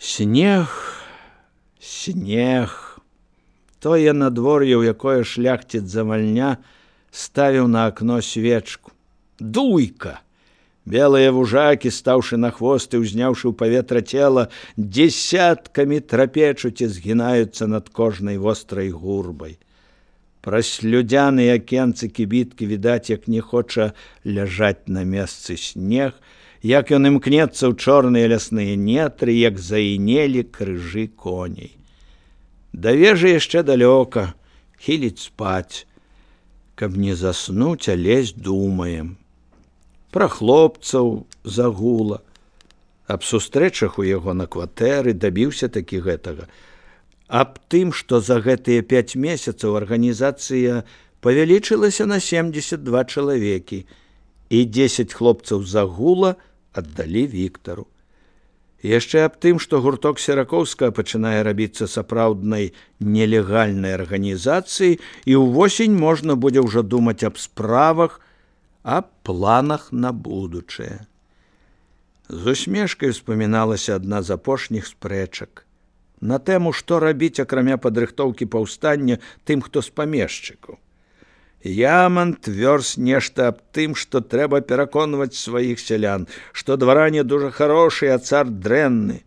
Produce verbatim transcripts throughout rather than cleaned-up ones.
Снег, снег. Тое надвор'е, у якое шляхціц завальня, ставіў на акно свечку. Дуйка! Белыя вужакі, стаўшы на хвост і ўзняўшы ў паветра цела, дзесяткамі трапечуць і згінаюцца над кожнай вострай гурбай. Праз слюдзяныя акенцы кібіткі відаць, як не хоча ляжаць на месцы снег, як ён імкнецца ў чорныя лясныя нетры, як заінелі крыжы коней. Да вежы яшчэ далёка, хіліць спаць. Каб не заснуць, а лезь думаем. Пра хлопцаў загула. Аб сустрэчах у яго на кватэры дабіўся такі гэтага. Аб тым, што за гэтыя пяць месяцаў арганізацыя павялічылася на семдзесят два чалавекі, і дзесяць хлопцаў загула аддалі Віктару. Яшчэ аб тым, што гурток Серакоўскага пачынае рабіцца сапраўднай нелегальнай арганізацыяй, і ўвосень можна будзе ўжо думаць аб справах, аб планах на будучае. З усмешкай успаміналася адна з апошніх спрэчак на тэму, што рабіць, акрамя падрыхтоўкі паўстання, тым, хто з памешчыкаў. Яман твёрз нешта аб тым, што трэба пераконваць сваіх сялян, што дваране дужа харошы, а цар дрэнны.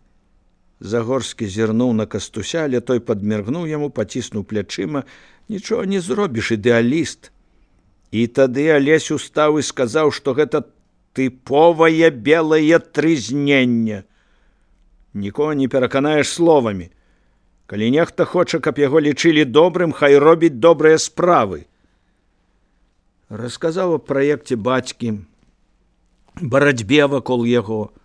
Загорскі зірнуў на Кастуся, але той падміргнуў яму, паціснуў плячыма. Нічога не зробіш, ідэаліст. І тады Алесь устаў і сказаў, што гэта тыповае белае трызненне. Нікога не пераканаеш словамі. Калі нехта хоча, каб яго лічылі добрым, хай робіць добрыя справы. Расказаў аб праекце бацькі, барацьбе вакол яго,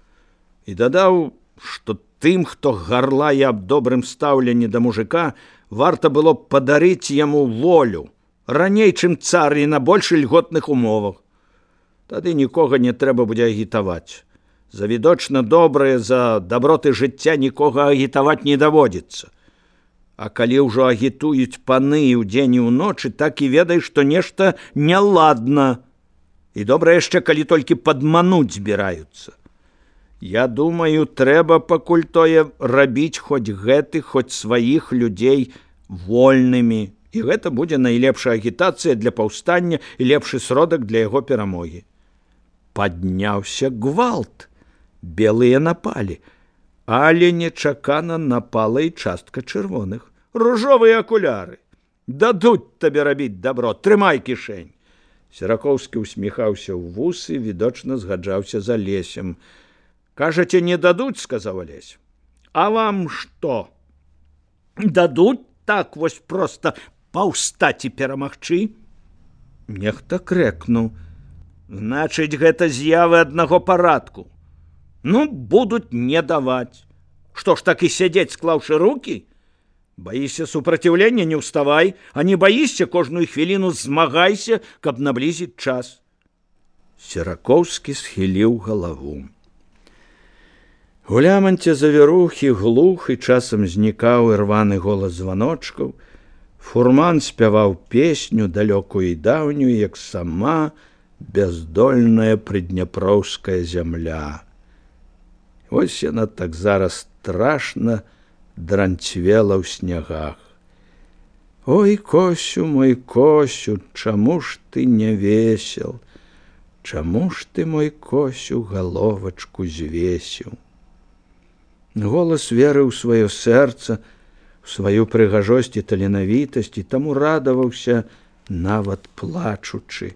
і дадаў, што тым, хто гарлае аб добрым стаўленні да мужика, варта было б падарыць яму волю, раней, чым цар, і на больш льготных умовах. Тады нікога не трэба будзе агітаваць. За відочна добрае, за даброты жыцця нікога агітаваць не даводзіцца. А калі ўжо агітуюць паны і ўдзень і ўночы, так і ведай, што нешта няладна. І добра яшчэ, калі толькі падмануць збіраюцца. Я думаю, трэба пакуль тое рабіць хоць гэтых, хоць сваіх людзей вольнымі. І гэта будзе найлепшая агітацыя для паўстання і лепшы сродак для яго перамогі. Падняўся гвалт. Белыя напалі. Але нечакана напала і частка чырвоных. Ружовыя акуляры. Дадуць табе рабіць дабро, трымай кішэнь. Серакоўскі усміхаўся ў вусы, відочна згаджаўся з Алесем. Кажаце, не дадуць, сказаў Алесь. А вам што? Дадуць так вось проста паўстаць і перамагчы? Нехта крэкнуў. Значыць, гэта з'явы аднаго парадку. Ну, будуць не даваць. Што ж, так і сядзець, склаўшы рукі? Баішся супраціўлення, не ўставай, а не баішся, кожную хвіліну змагайся, каб наблізіць час. Серакоўскі схіліў галаву. У ляманце завірухі глух і часам знікаў ірваны голас званочкаў. Фурман спяваў песню, далёкую і даўнюю, як сама бяздольная прыдняпроўская зямля. Вось яна так зараз страшна дранцвела ў снягах. Ой, Косю, мой Косю, чаму ж ты не весел? Чаму ж ты, мой Косю, галовачку звесіў? Голас верыў у сваё сэрца, у сваю прыгажосць і таленавітасць, і таму радаваўся, нават плачучы,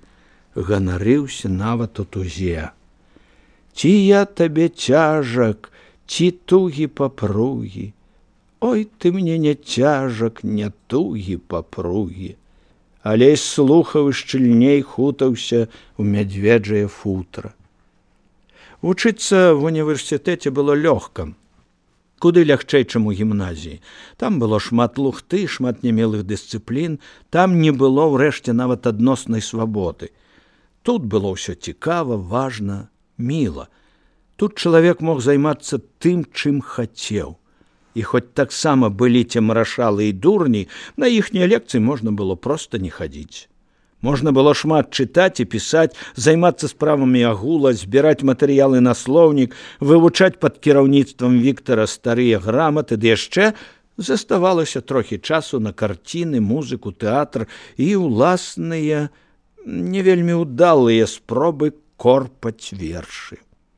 ганарыўся нават у тузе. Ці я табе цяжак, ці тугі папругі? Ой, ты мне не цяжак, не тугі папругі. Алесь слухаў і шчыльней хутаўся ў мядзведжае футра. Вучыцца в універсітэце было лёгка. Куды лягчэй, чым у гімназіі. Там было шмат лухты, шмат нямелых дысцыплін, там не было ўрэшце нават адноснай свабоды. Тут было ўсё цікава, важна, міла. Тут чалавек мог займацца тым, чым хацеў. І хоць таксама былі ці марашалы і дурні, на іхнія лекцыі можна было проста не хадзіць. Можна было шмат чытаць і пісаць, займацца справамі агула, збіраць матэрыялы на слоўнік, вывучаць пад кіраўніцтвам Віктара старыя граматы, ды яшчэ заставалася трохі часу на карціны, музыку, тэатр і ўласныя, не вельмі ўдалыя спробы корпаць вершы.